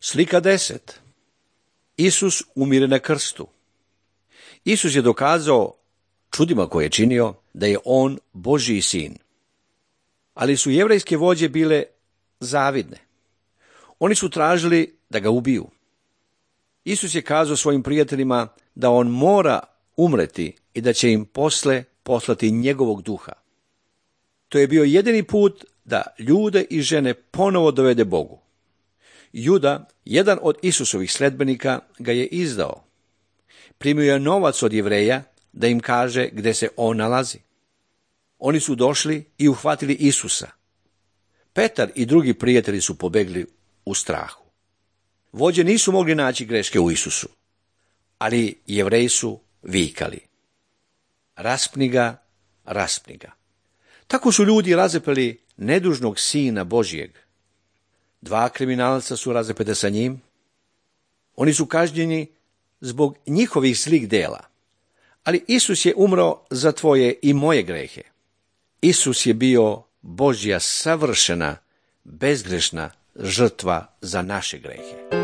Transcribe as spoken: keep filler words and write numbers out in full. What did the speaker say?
Slika deset. Isus umire na krstu. Isus je dokazao čudima koje je činio da je on Božji sin. Ali su jevrejske vođe bile zavidne. Oni su tražili da ga ubiju. Isus je kazao svojim prijateljima da on mora umreti i da će im posle poslati njegovog duha. To je bio jedini put da ljude i žene ponovo dovede Bogu. Juda, jedan od Isusovih sledbenika, ga je izdao. Primio je novac od Jevreja da im kaže gde se on nalazi. Oni su došli i uhvatili Isusa. Petar i drugi prijatelji su pobegli u strahu. Vođe nisu mogli naći greške u Isusu, ali Jevreji su vikali: raspni ga, raspni ga. Tako su ljudi razapeli nedužnog sina Božjeg. Dva kriminalca su razapeta sa njim. Oni su kažnjeni zbog njihovih zlih dela. Ali Isus je umro za tvoje i moje grehe. Isus je bio Božja savršena, bezgrešna žrtva za naše grehe.